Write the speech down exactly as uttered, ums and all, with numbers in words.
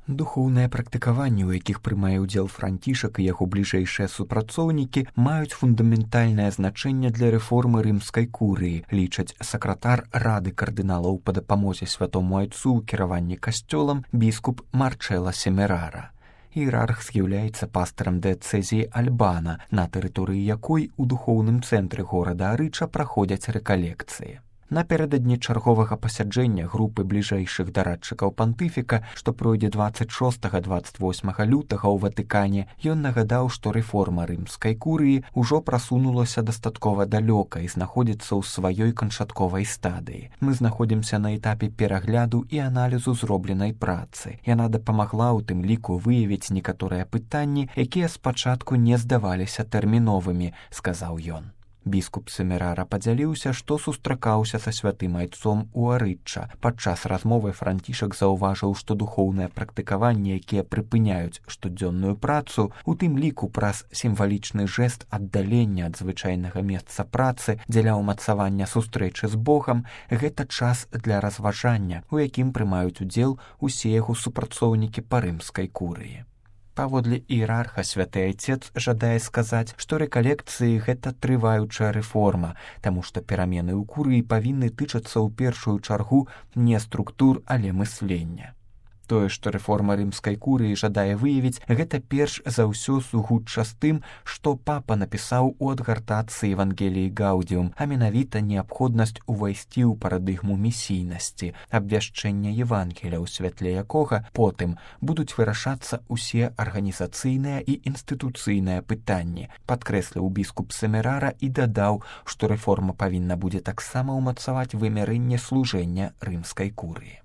Духоўныя практыкаванні, у якіх прымае ўдзел Францішак і яго бліжэйшыя супрацоўнікі, маюць фундаментальнае значэнне для рэформы рымскай курыі, лічаць сакратар Рады кардыналаў па дапамозе святому айцу ў кіраванні касцёлам біскуп Марчэла Семерара. Іерарх з'яўляецца пастарам дыяцэзіі Альбана, на тэрыторыі якой у духоўным цэнтры горада Арыча праходзяць рэкалекцыі. Напярэдадні чарговага пасяджэння групы бліжэйшых дарадчыкаў пантыфіка, што пройдзе дваццаць шостага - дваццаць восьмага лютага ў Ватыкане, ён нагадаў, што рэформа рымскай курыі ўжо прасунулася дастаткова далёка і знаходзіцца ў сваёй канчатковай стадыі. Мы знаходзімся на этапе перагляду і аналізу зробленай працы. Яна дапамагла ў тым ліку выявіць некаторыя пытанні, якія спачатку не здаваліся тэрміновымі, сказаў ён. Біскуп Семерара падзяліўся, што сустракаўся са святым айцом у Арычча. Падчас размовы Францішак заўважыў, што духоўныя практыкаванні, якія прыпыняюць штодзённую працу, у тым ліку праз сімвалічны жэст аддалення ад звычайнага месца працы дзеля ўмацавання сустрэчы з Богам, гэта час для разважання, у якім прымаюць удзел усе яго супрацоўнікі па рымскай курыі. Паводле іерарха святы айцец жадае сказаць, што рэкалекцыі гэта трываючая рэформа, таму што перамены ў курыі павінны тычацца ў першую чаргу не структур, але мыслення. Тое, што рэформа рымскай курыі жадае выявіць, гэта перш за ўсё сугучча з тым, што папа напісаў у адгартацыі Евангеліі Гаўдіум, а менавіта неабходнасць увайсці ў парадыгму місійнасці, абвяшчэння Евангеля, у святле якога потым будуць вырашацца ўсе арганізацыйныя і інстытуцыйныя пытанні, падкрэсліў біскуп Семерара і дадаў, што рэформа павінна будзе таксама ўмацаваць вымярэнне служэння рымскай курыі.